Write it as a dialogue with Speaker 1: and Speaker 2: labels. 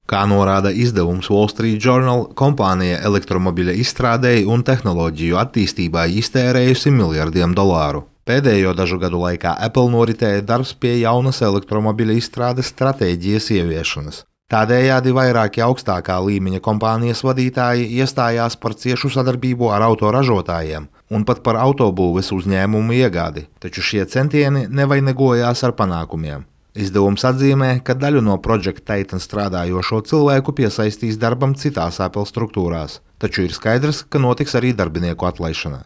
Speaker 1: Kā norāda izdevums Wall Street Journal, kompānija elektromobiļa izstrādei un tehnoloģiju attīstībai iztērējusi miljardiem dolāru. Pēdējo dažu gadu laikā Apple noritēja darbs pie jaunas elektromobiļa izstrādes stratēģijas ieviešanas. Tādējādi vairāki augstākā līmeņa kompānijas vadītāji iestājās par ciešu sadarbību ar autoražotājiem un pat par autobūves uzņēmumu iegādi, taču šie centieni nevainagojās ar panākumiem. Izdevums atzīmē, ka daļu no Project Titan strādājošo cilvēku piesaistīs darbam citās Apple struktūrās, taču ir skaidrs, ka notiks arī darbinieku atlaišana.